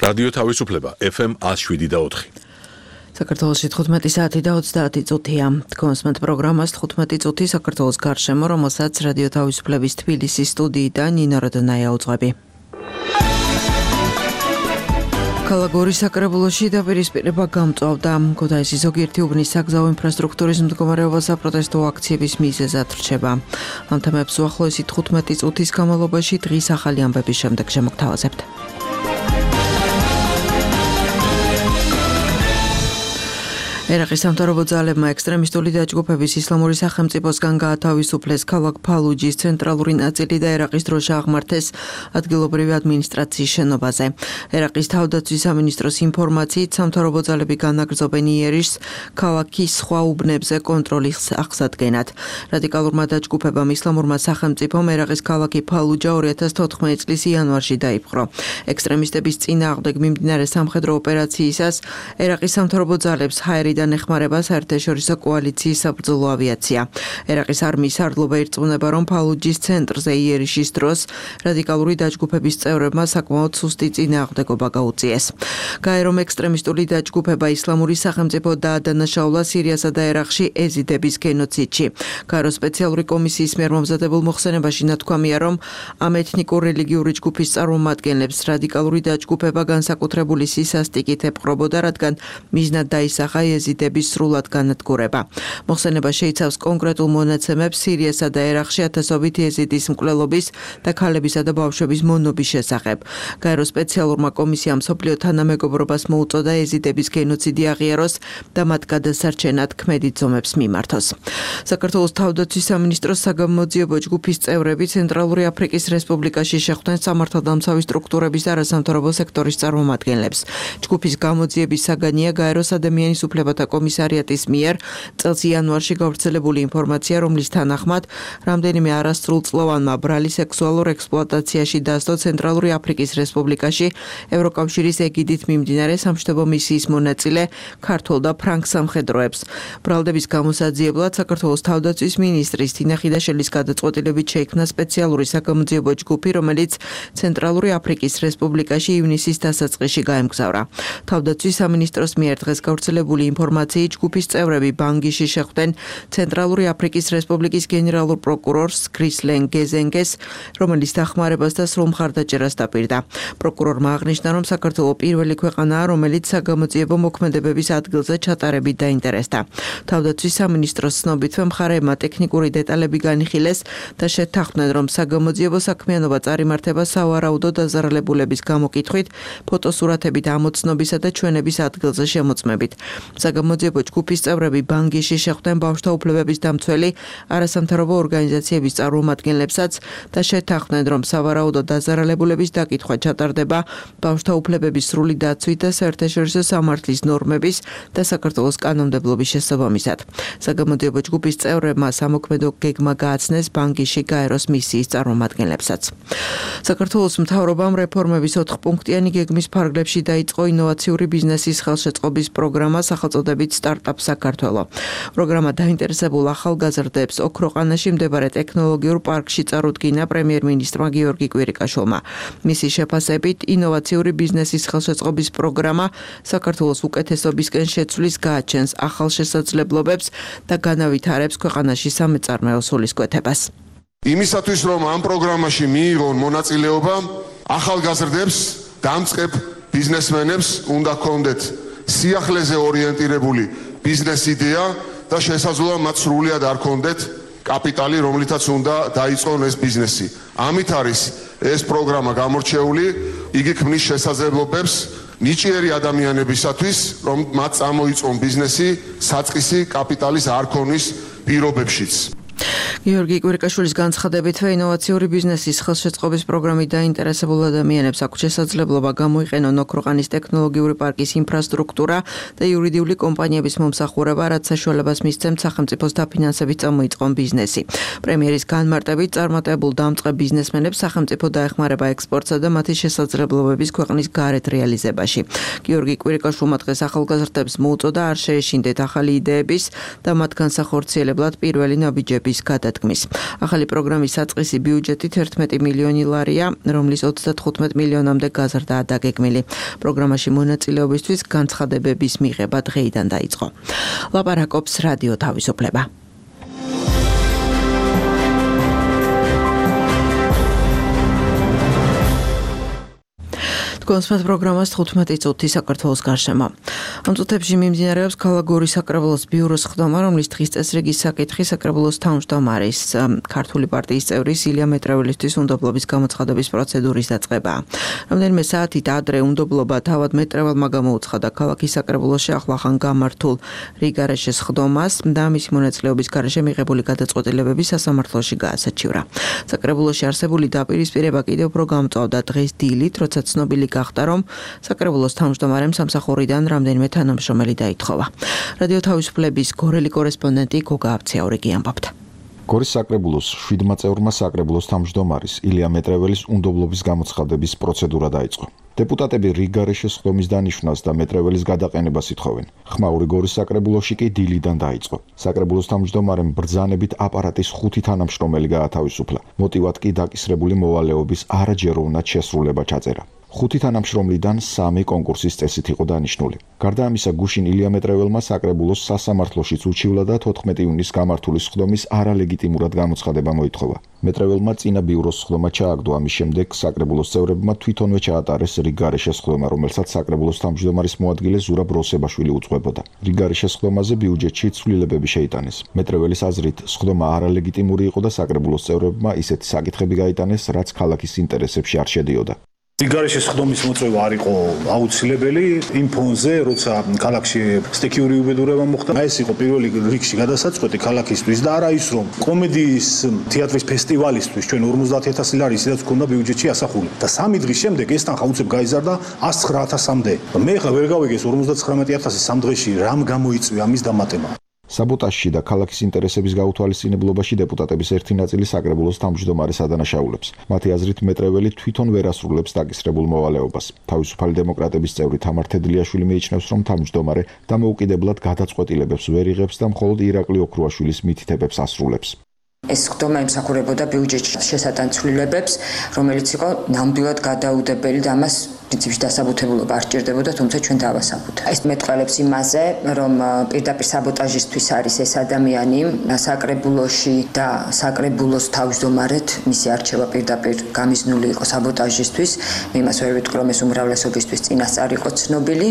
რადიო თავისუფლება FM 107.4. საქართველოში 15 საათი და 30 წუთია. კონსმენტ პროგრამას 15 წუთი საქართველოს გარშემო, რომელსაც რადიო თავისუფლების თბილისის სტუდიიდან ნინო როდონაია უძღვები. ქალაქ გორის საკრებულოში დაპირისპირება გამწვავდა. ქუთაისის ზოგიერთი უბნის საგზაო ინფრასტრუქტურის მდგომარეობა საპროტესტო აქციების მიზეზად რჩება. ამ თემებს უახლოესი 15 წუთის განმავლობაში დღის ახალი ამბების შემდეგ შემოგთავაზებთ. ერაყის სამთავრობო ძალებმა ექსტრემისტული დაჯგუფების ისლამური სახელმწიფოსგან გაათავისუფლეს ქალაქ ფალუჯის ცენტრალური ნაწილი და ერაყის დროშა აღმართეს ადგილობრივი ადმინისტრაციის შენობაზე. ერაყის თავდაცვის სამინისტროს ინფორმაციით, სამთავრობო ძალები განაგრძობენ იერიშს ქალაქის სხვა უბნებზე კონტროლის აღსადგენად. რადიკალურმა დაჯგუფებამ ისლამურმა სახელმწიფომ ერაყის ქალაქი ფალუჯა 2014 წლის იანვარში დაიპყრო. ექსტრემისტების წინააღმდეგ მიმდინარე სამხედრო ოპერაციისას ერაყის სამთავრობო ძალებს ჰაერიდან ეხმარება საერთაშორისო კოალიციის საბრძოლო ავიაცია. ერაყის არმიის სარდლობა ირწმუნება, რომ ფალუჯის ცენტრზე იერიშის დროს რადიკალური დაჯგუფების წევრებმა საკმაოდ სუსტი წინააღმდეგობა გაუწიეს. გაერომ ექსტრემისტული დაჯგუფება ისლამური სახელმწიფო დაადანაშაულა სირიასა და ერაყში ეზიდების გენოციდში. გაერო სპეციალური კომისიის მიერ მომზადებულ მოხსენებაში ნათქვამია, რომ ამ ეთნიკურ-რელიგიური ჯგუფის წარმომადგენლებს რადიკალური დაჯგუფება განსაკუთრებული სისასტიკით ეპყრობოდა, რადგან მიზნად დაისახა ეზიდების სრულად განადგურება. მოხსენება შეიცავს კონკრეტულ მონაცემებს სირიასა და ერაყში ათასობით ეზიდის მკვლელობის და ქალებისა და ბავშვების მონობის შესახებ. გაერო სპეციალურმა კომისიამ მსოფლიო თანამეგობრობას მოუწოდა ეზიდების გენოციდი აღიაროს და მათ გადასარჩენად ქმედი ძომებს მიმართოს. საქართველოს თავდაცვის სამინისტროს საგამოძიებო ჯგუფის წევრები ცენტრალური აფრიკის რესპუბლიკაში შეხვდნენ სამართალდამცავი სტრუქტურების და არასამთავრობო სექტორის წარმომადგენლებს. ჯგუფის გამოძიების საგანია გაეროს ადამიანის უფლებათა კომისარიატის მიერ წელს იანვარში გავრცელებული ინფორმაცია, რომლის თანახმად რამდენიმე არასრულწლოვანმა ბრალი სექსუალურ ექსპლუატაციაში დასდო ცენტრალური აფრიკის რესპუბლიკაში ევროკავშირის ეგიდით მიმდინარე სამშვიდობო მისიის მონაწილე ქართულ და ფრანგ სამხედროებს. ბრალდების გამოსაძიებლად საქართველოს თავდაცვის მინისტრის თინა ხიდაშელის გადაწყვეტილებით შეიქმნა სპეციალური საგამოძიებო ჯგუფი, რომელიც ცენტრალური აფრიკის რესპუბლიკაში ივნისის დასაწყისში გაემგზავრა. თავდაცვის სამინისტროს მიერ დღეს გავრცელებული ინფორმაციით ჯგუფის წევრები ბანგიში შეხვდნენ ცენტრალური აფრიკის რესპუბლიკის გენერალურ პროკურორს კრისლენ გეზენგეს, რომელიც დახმარებას და სრულ მხარდაჭერას დაპირდა. პროკურორმა აღნიშნა, რომ საქართველო პირველი ქვეყანაა, რომელიც საგამოძიებო მოქმედებების ადგილზე ჩატარებით დაინტერესდა. თავდაცვის სამინისტროს ცნობით, მხარეებმა ტექნიკური დეტალები განიხილეს და შეთანხმდნენ, რომ საგამოძიებო საქმიანობა წარიმართება სავარაუდო დაზარალებულების გამოკითხვით, ფოტოსურათებით ამოცნობისა და ჩვენების ადგილზე შემოწმებით. საგამოძიებო ჯგუფის წევრები ბანგიში შეხვდნენ ბავშვთა უფლებების დამცველი არასამთავრობო ორგანიზაციების წარმომადგენლებსაც და შეთანხმდნენ, რომ სავარაუდო დაზარალებულების დაკითხვა ჩატარდება ბავშვთა უფლებების სრული დაცვით და საერთაშორისო სამართლის ნორმების და საქართველოს კანონმდებლობის შესაბამისად. საგამოძიებო ჯგუფის წევრებმა სამოქმედო გეგმა გააცნეს ბანგიში გაეროს მისიის წარმომადგენლებსაც. საქართველოს მთავრობამ რეფორმების 4-პუნქტიანი გეგმის ფარგლებში დაიწყო ინოვაციური ბიზნესის ხელშეწყობის პროგრამა სახელწოდებით სტარტაპ საქართველო. პროგრამა დაინტერესებულ ახალგაზრდებს ოქროყანაში მდებარე ტექნოლოგიურ პარკში წარუდგინა პრემიერ-მინისტრმა გიორგი კვირიკაშვილმა. მისი შეფასებით, ინოვაციური ბიზნესის ხელშეწყობის პროგრამა საქართველოს უკეთესობისკენ შეცვლის, გააჩენს ახალ შესაძლებლობებს და განავითარებს ქვეყანაში სამეწარმეო სულისკვეთებას. იმისათვის, რომ ამ პროგრამაში მიიღონ მონაწილეობა, ახალგაზრდებს, დამწყებ ბიზნესმენებს უნდა ჰქონდეთ სიახლეზე ორიენტირებული ბიზნეს იდეა და შესაძლოა მათ სრულად არ ჰქონდეთ კაპიტალი, რომლითაც უნდა დაიწყონ ეს ბიზნესი. ამით არის ეს პროგრამა გამორჩეული, იგი ქმნის შესაძლებლობებს ნიჭიერი ადამიანებისათვის, რომ მათ წამოიწყონ ბიზნესი საწყისი კაპიტალის არ ქონის პირობებშიც. გიორგი კვირიკაშვილის განცხადებით, ინოვაციური ბიზნესის ხელშეწყობის პროგრამით დაინტერესებულ ადამიანებს აქვს შესაძლებლობა გამოიყენონ ოქროყანის ტექნოლოგიური პარკის ინფრასტრუქტურა და იურიდიული კომპანიების მომსახურება, რაც საშუალებას მისცემთ სახელმწიფოს დაფინანსებით წამოიწყონ ბიზნესი. პრემიერის განმარტებით წარმატებულ დამწყებ ბიზნესმენებს სახელმწიფო დაეხმარება ექსპორტსა და მათი შესაძლებლობების ქვეყნის გარეთ რეალიზებაში. გიორგი კვირიკაშვილმა დღეს ახალგაზრდებს მოუწოდა არ შეეშინდეთ ახალი იდეების და მათ განსახორციელებლად პირველი ნაბიჯების გადაცემა. გადადგმის. ახალი პროგრამის საწყისი ბიუჯეტი 11 მილიონი ლარია, რომლის 35 მილიონამდე გაზრდაა დაგეგმილი. პროგრამაში მონაწილეობისთვის განცხადებების მიღება დღეიდან დაიწყო. ლაპარაკობს რადიო თავისუფლება. კონსპект პროგრამას 15 წუთი საქართველოს გარშემო. ამ წუთებში მიმდინარეობს ქალაქ გორის საკრებულოს ბიუროს ხდომა, რომლის დღის წესრიგის საკითხი საკრებულოს თავმჯდომარის ქართული პარტიის წევრის ილია მეტრეველისთვის უნდობლობის გამოცხადების პროცედურის დაწყებაა. რამდენიმე საათით ადრე უნდობლობა თავად მეტრეველმა გამოუცხადა ქალაქის საკრებულოში ახლახან გამართულ რიგარეშეს ხდომას და მისი მონაწილეობის გარეშე მიღებული გადაწყვეტილებები სასამართლოში გაასაჩივრა. საკრებულოში არსებული დაპირისპირება კიდევ უფრო გამწვავდა დღეს დილით, როცა ცნობილი გახდა, რომ საკრებულოს თავმჯდომარემ სამსახურიდან რამდენიმე თანამშრომელი დაითხოვა. რადიო თავისუფლების გორელი კორესპონდენტი გოგა აბციაურიგი ამბობდა. გორის საკრებულოს 7 წევრმა საკრებულოს თავმჯდომარის ილია მეტრეველის უნდობლობის გამოცხადების პროცედურა დაიწყო. დეპუტატები რიგარეშეს ხდომის დანიშვნას და მეტრეველის გადაყენებას ითხოვენ. ხმაური გორის საკრებულოში კი დილიდან დაიწყო. საკრებულოს თავმჯდომარემ ბრძანებით აპარატის 5 თანამშრომელი გაათავისუფლა. მოტივად კი დაკისრებული მოვალეობის არაჯეროვნად შესრულება ჩაწერა. 5 თანამშრომლიდან 3 კონკურსის წესით იყო დანიშნული. გარდა ამისა, გუშინ ილია მეტრეველმა საკრებულოს სასამართლოშიც უჩივლა და 14 ივნისს გამართული სხდომის არალეგიტიმურად გამოცხადება მოითხოვა. მეტრეველმა წინა ბიუროს სხდომა ჩააგდო, ამის შემდეგ საკრებულოს წევრებმა თვითონვე ჩაატარეს რიგარეშეს სხდომა, რომელსაც საკრებულოს თავმჯდომარის მოადგილე ზურაბ როსებაშვილი უძღვებოდა. რიგარეშეს სხდომაზე ბიუჯეტში ცვლილებები შეიტანეს. მეტრეველის აზრით, სხდომა არალეგიტიმური იყო და საკრებულოს წევრებმა ისეთი საკითხები გაიტანეს, რაც ქალაქის ინტერესებში არ შედიოდა. რიგარეშეს სხდომის მოწვევა არ იყო აუცილებელი იმ ფონზე, როცა ქალაქში სტიქიური უბედურება მოხდა. ეს იყო პირველი რიგში გადასაწყვეტი ქალაქისთვის და არა ის, რომ კომედიის თეატრის ფესტივალისთვის ჩვენ 50000 ლარი ისედაც გქონდა ბიუჯეტში ასახული. და 3 დღის შემდეგ ეს თანხა უცებ გაიზარდა 109000-მდე. მე ხა ვერ გავიგეს 59000 3 დღეში რამ გამოიწვია ამის დამატება. საბოტაჟში და ქალაქის ინტერესების გაუთვალისწინებლობაში დეპუტატების ერთი ნაწილი საკრებულოს თავმჯდომარეს ადანაშაულებს. მათი აზრით მეტრეველი თვითონ ვერ ასრულებს დაკისრებულ მოვალეობას. თავისუფალი დემოკრატების წევრი თამარ თედლიაშვილი მიიჩნევს, რომ თავმჯდომარე დამოუკიდებლად გადაწყვეტილებებს ვერ იღებს და მხოლოდ ირაკლი ოქრუაშვილის მითითებებს ასრულებს. ეს სხდომა ემსახურებოდა ბიუჯეტში შესატან ცვლილებებს, რომელიც იყო ნამდვილად გადაუდებელი და ამას პრინციპში დასაბუთებულობა არ სჭირდებოდა, თუმცა ჩვენ დავასაბუთებთ. ეს მეტყველებს იმაზე, რომ პირდაპირ საბოტაჟისთვის არის ეს ადამიანი საკრებულოში და საკრებულოს თავმჯდომარედ მისი არჩევა პირდაპირ გამიზნული იყო საბოტაჟისთვის. მე იმას ვერ ვიტყვი, რომ ეს უმრავლესობისთვის წინასწარ იყო ცნობილი,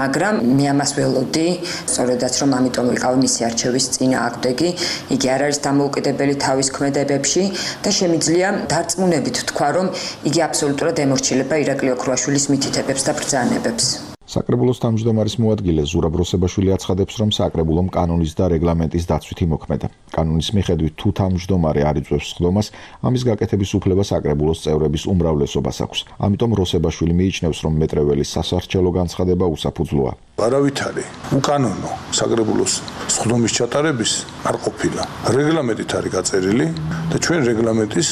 მაგრამ მე ამას ველოდი, სწორედაც რომ ამიტომ ვიყავი მისი არჩევის წინააღმდეგი. იგი არ არის დამოუკიდებელი თავის ქმედებებში და შემიძლია დარწმუნებით თქვა, რომ იგი აბსოლუტურად ემორჩილება ირაკლი ოქრუაშვილის მითითებებს და ბრძანებებს. საკრებულოს თავმჯდომარის მოადგილე ზურაბ როსებაშვილი აცხადებს, რომ საკრებულომ კანონის და რეგლამენტის დაცვით იმოქმედა. კანონის მიხედვით, თუ თავმჯდომარე არ იწვევს სხდომას, ამის გაკეთების უფლება საკრებულოს წევრების უმრავლესობას აქვს. ამიტომ როსებაშვილი მიიჩნევს, რომ მეტრეველის სასარჩელო განცხადება უსაფუძვლოა. არავითარი უკანონო საკრებულოს სხდომის ჩატარების არ ყოფილა. რეგლამენტით არის გაწერილი და ჩვენ რეგლამენტის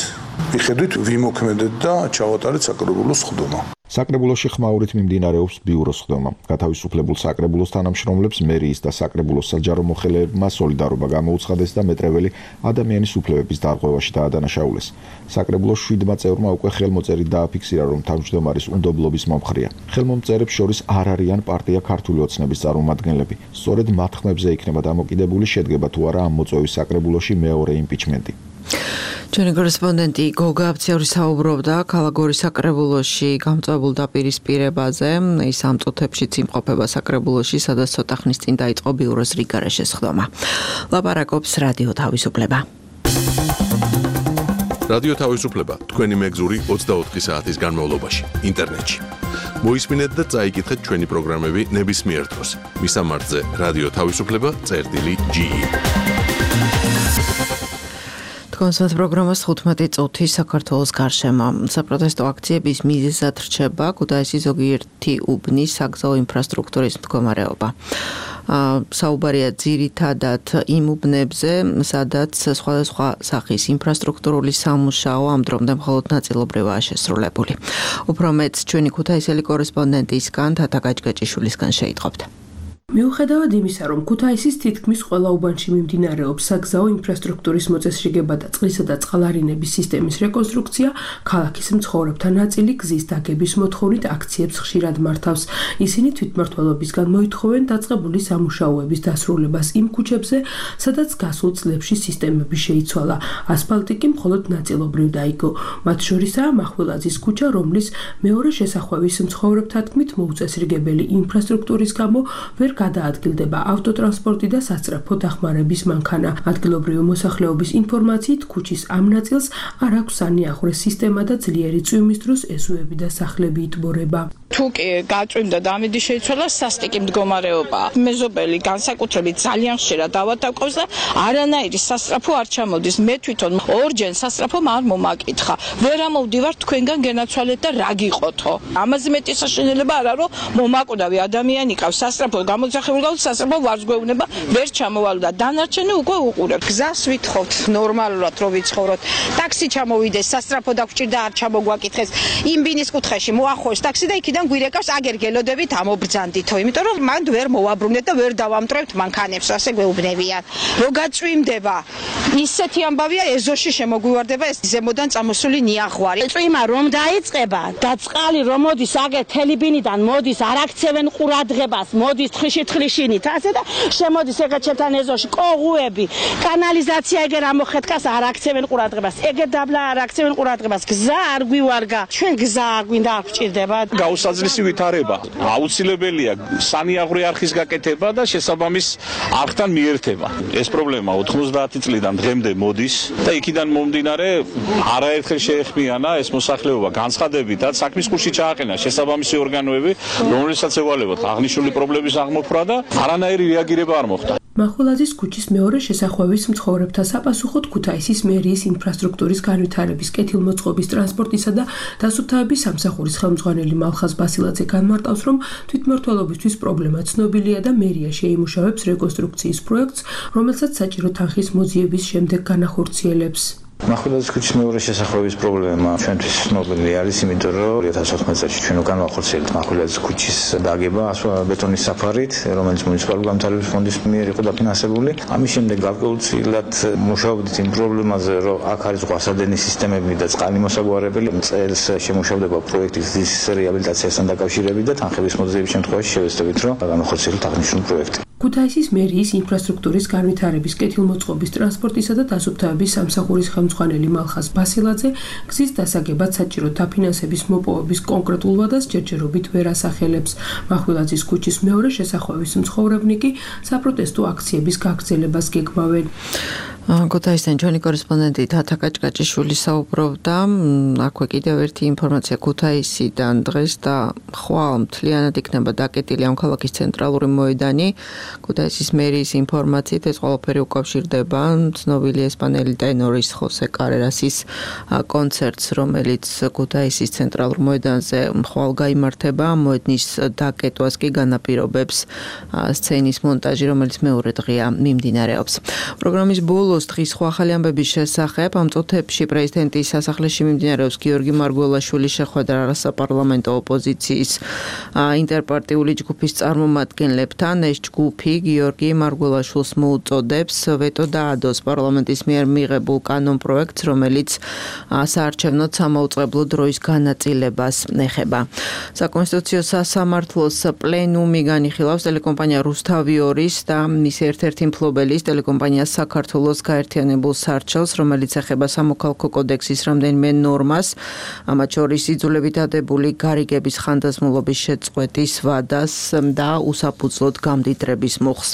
მიხედვით ვიმოქმედეთ და ჩავატარეთ საკრებულოს სხდომა. საკრებულოში ხმაურით მიმდინარეობს ბიუროს სხდომა. გათავისუფლებულ საკრებულოს თანამშრომლებს მერიის და საკრებულოს საჯარო მოხელეებმა სოლიდარობა გამოუცხადეს და მეტრეველი ადამიანის უფლებების დარღვევაში დაადანაშაულეს. საკრებულოს 7 წევრმა უკვე ხელმოწერით დააფიქსირა, რომ თავმჯდომარის უნდობლობის მომხრეა. ხელმომწერებს შორის არ არიან პარტია ქართული ოცნების წარმომადგენლები. სწორედ მათ ხმებზე იქნება დამოკიდებული, შედგება თუ არა ამ მოწვევის საკრებულოში მეორე იმპიჩმენტი. ჩვენი კორესპონდენტი გოგა აბციაური საუბრობდა ქალაქ გორის საკრებულოში გამწვავებულ დაპირისპირებაზე. ის ამ წუთებშიც იმყოფება საკრებულოში, სადაც ცოტა ხნის წინ დაიწყო ბიუროს რიგარეშეს სხდომა. ლაპარაკობს რადიო თავისუფლება. რადიო თავისუფლება თქვენი მეგზური 24 საათის განმავლობაში ინტერნეტში. მოისმინეთ და წაიკითხეთ ჩვენი პროგრამები ნებისმიერ დროს. მისამართზე რადიო თავისუფლება.ge კონსპект პროგრამას 15 წუთი საქართველოს გარშემო. საპროტესტო აქციების მიზეზად რჩება ქუთაისის ზოგიერთი უბნის საგზაო ინფრასტრუქტურის მდგომარეობა. საუბარია ძირითადად იმ უბნებზე, სადაც სხვადასხვა სახის ინფრასტრუქტურული სამუშაო ამ დრომდე მხოლოდ ნაწილობრივაა შესრულებული. უფრო მეტს ჩვენი ქუთაისელი კორესპონდენტისგან თათა გაჭგაჭიშვილისგან შეიტყობთ. მიუხედავად იმისა, რომ ქუთაისის თითქმის ყველა უბანში მიმდინარეობს საგზაო ინფრასტრუქტურის მოწესრიგება და წყლისა და წყალარინების სისტემის რეკონსტრუქცია, ქალაქის მცხოვრებთა ნაწილი გზის დაგების მოთხოვნით აქციებს ხშირად მართავს. ისინი თვითმმართველობისგან მოითხოვენ დაწყებული სამუშაოების დასრულებას იმ ქუჩებზე, სადაც გასულ წლებში სისტემები შეიცვალა. ასფალტი კი მხოლოდ ნაწილობრივ დაიგო. მათ შორისაა მახვილაძის ქუჩა, რომლის მეორე შესახვევის მცხოვრებთა თქმით მოუწესრიგებელი ინფრასტრუქტურის გამო ვერ გადაადგილდება ავტოტრანსპორტი და სასწრაფო დახმარების მანქანა. ადგილობრივი მოსახლეობის ინფორმაციით, ქუჩის ამ ნაწილს არ აქვს სანიახვრის სისტემა და ძლიერი წვიმის დროს ეზოები და სახლები იტბორება. თუ კი გაწვიმდა და ამიდი შეიცვალა სასტიკი მდგომარეობა. მეზობელი განსაკუთრებით ძალიან ხშირად დავატაკობს და არანაირი სასწრაფო არ ჩამოდის. მე თვითონ ორჯერ სასწრაფომ არ მომაკითხა. ვერ ამოვდივარ თქვენგან გენაცვალეთ და რა გიყოთო. ამაზე მეტი საშინელება არა რომ მომაკვდავი ადამიანი ყავს სასწრაფო გამოძახებული და სასწრაფო ვარს გვეუბნება ვერ ჩამოვალ და დანარჩენი უკვე უყურებ. გზას ვითხოვთ ნორმალურად რომ ვიცხოვროთ. ტაქსი ჩამოვიდეს, სასწრაფო დაგჭირდა არ ჩამოგვაკითხეს. იმ ბინის კუთხეში მოახოს ტაქსი და იქიდან გვირეკავს აგერგელოდებით ამობრძანდითო, იმიტომ რომ მანდ ვერ მოვაბრუნეთ და ვერ დავამტრევთ მანქანებს, ასე გვეუბნებიან. რო გაწვიმდება, ისეთი ამბავია ეზოში შემოგვივარდება ეს ზემოდან წამოსული ნიაღვარი. წვიმა რომ დაიწყება და წყალი რომ მოდის აგერ თელიბინიდან მოდის, არ აქცევენ ყურადღებას, მოდის თხიშინით, ასე და შემოდის ეგეთ ჩემთან ეზოში კოღუები, კანალიზაცია ეგერ ამოხეთკას არ აქცევენ ყურადღებას, ეგერ დაბლა არ აქცევენ ყურადღებას, გზა არ გვივარგა, ჩვენ გზა გვინდა არ გვჭირდება. გაუსაძლისი ვითარება. აუცილებელია სანიაღვრე არხის გაკეთება და შესაბამის არხთან მიერთება. ეს პრობლემა 90 წლიდან დღემდე მოდის და იქიდან მომდინარე არაერთხელ შეეხმიანა ეს მოსახლეობა განცხადებითაც საქმის კურსში ჩააყენა შესაბამისი ორგანოები, რომელსაც ევალებათ აღნიშნული პრობლემის აღმოფხვრა და არანაირი რეაგირება არ მოხდა. მახვილაძის ქუჩის მეორე შესახვევის მცხოვრებთა საპასუხოდ ქუთაისის მერიის ინფრასტრუქტურის განვითარების კეთილმოწყობის ტრანსპორტისა და დასუფთავების სამსახურის ხელმძღვანელი მალხაზ ბასილაძე განმარტავს, რომ თვითმმართველობისთვის პრობლემა ცნობილია და მერია შეიმუშავებს რეკონსტრუქციის პროექტს, რომელსაც საჭირო თანხის მოძიების შემდეგ განახორციელებს. მახვილაძის ქუჩის მეორე შესახვევის პრობლემა ჩვენთვის ცნობილი არის, იმიტომ რომ 2014 წელს ჩვენ უკან ვახორციელებთ მახვილაძის ქუჩის დაგება ბეტონის საფარით, რომელიც მუნიციპალური განვითარების ფონდის მიერ იყო დაფინანსებული. ამის შემდეგ გარკვეულწილად მუშაობდით იმ პრობლემაზე, რომ აქ არის ზღვასადენის სისტემები და წყალი მოსაგვარებელი. წელს შემუშავდება პროექტი გზის რეაბილიტაციასთან დაკავშირებით და თანხების მოძიების შემთხვევაში შევეცდებით, რომ განახორციელოთ აღნიშნული პროექტი. ქუთაისის მერიის ინფრასტრუქტურის განვითარების კეთილმოწყობის ტრანსპორტისა და დასუფთავების სამსახურის ხელმძღვანელი მალხაზ ბასილაძე გზის დასაგებად საჭირო დაფინანსების მოპოვების კონკრეტულ ვადას ჯერჯერობით ვერ ასახელებს. მახვილაძის ქუჩის მეორე შესახვევის მცხოვრებნი კი საპროტესტო აქციების გაგრძელებას გეგმავენ. ქუთაისიდან ჩვენი კორესპონდენტი თათა კაჭკაჭიშვილი საუბრობდა. აქვე კიდევ ერთი ინფორმაცია ქუთაისიდან დღეს და ხვალ მთლიანად იქნება დაკეტილი ამ ქალაქის ცენტრალური მოედანი. ქუთაისის მერიის ინფორმაციით ეს ყველაფერი უკავშირდება ცნობილი ესპანელი ტენორის ხოსე კარერასის კონცერტს, რომელიც ქუთაისის ცენტრალურ მოედანზე ხვალ გაიმართება. მოედნის დაკეტვას კი განაპირობებს სცენის მონტაჟი, რომელიც მეორე დღეა მიმდინარეობს. პროგრამის ბოლოს დღის სხვა ახალი ამბების შესახებ ამ წუთებში პრეზიდენტის სასახლეში მიმდინარეობს გიორგი მარგველაშვილის შეხვედრა საპარლამენტო ოპოზიციის ინტერპარტიული ჯგუფის წარმომადგენლებთან. ეს ჯგუფი გიორგი მარგველაშვილს მოუწოდებს ვეტო დაადოს პარლამენტის მიერ მიღებულ კანონპროექტს, რომელიც საარჩევნოდ სამაუწყებლო დროის განაწილებას ეხება. საკონსტიტუციო სასამართლოს პლენუმი განიხილავს ტელეკომპანია რუსთავი 2-ის და მის ერთ-ერთი მფლობელის ტელეკომპანია საქართველოს გაერთიანებულ სარჩელს, რომელიც ეხება სამოქალაქო კოდექსის რამდენიმე ნორმას, ამათ შორის იძულებით დადებული გარიგების ხანდაზმულობის შეწყვეტის ვადას და უსაფუძვლოდ გამდიდრების მუხს.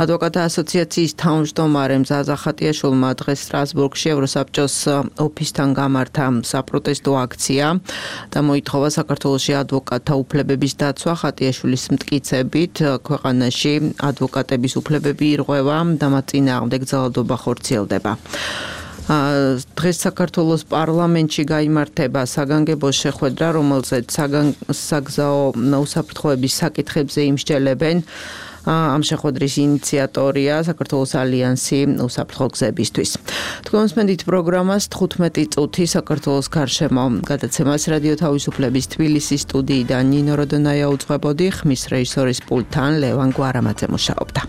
ადვოკატთა ასოციაციის თავმჯდომარემ ზაზა ხატიაშვილმა დღეს სტრასბურგში ევროსაბჭოს ოფისთან გამართა საპროტესტო აქცია და მოითხოვა საქართველოში ადვოკატთა უფლებების დაცვა. ხატიაშვილის მტკიცებით ქვეყანაში ადვოკატების უფლებები ირღვევა და მათ წინააღმდეგ ძალადობა ხორციელდება. დღეს საქართველოს პარლამენტში გაიმართება საგანგებო შეხვედრა, რომელზეც საგზაო უსაფრთხოების საკითხებზე იმსჯელებენ ამ შეხვედრის ინიციატორია საქართველოს ალიანსი უსაფრთხო გზებისთვის. თქვენ მსმენთ პროგრამას 15 წუთი საქართველოს გარშემო. გადაცემას რადიო თავისუფლების თბილისის სტუდიიდან ნინო როდონაია უძღვებოდი, ხმის რეჟისორის პულტთან ლევან გვარამაძე მუშაობდა.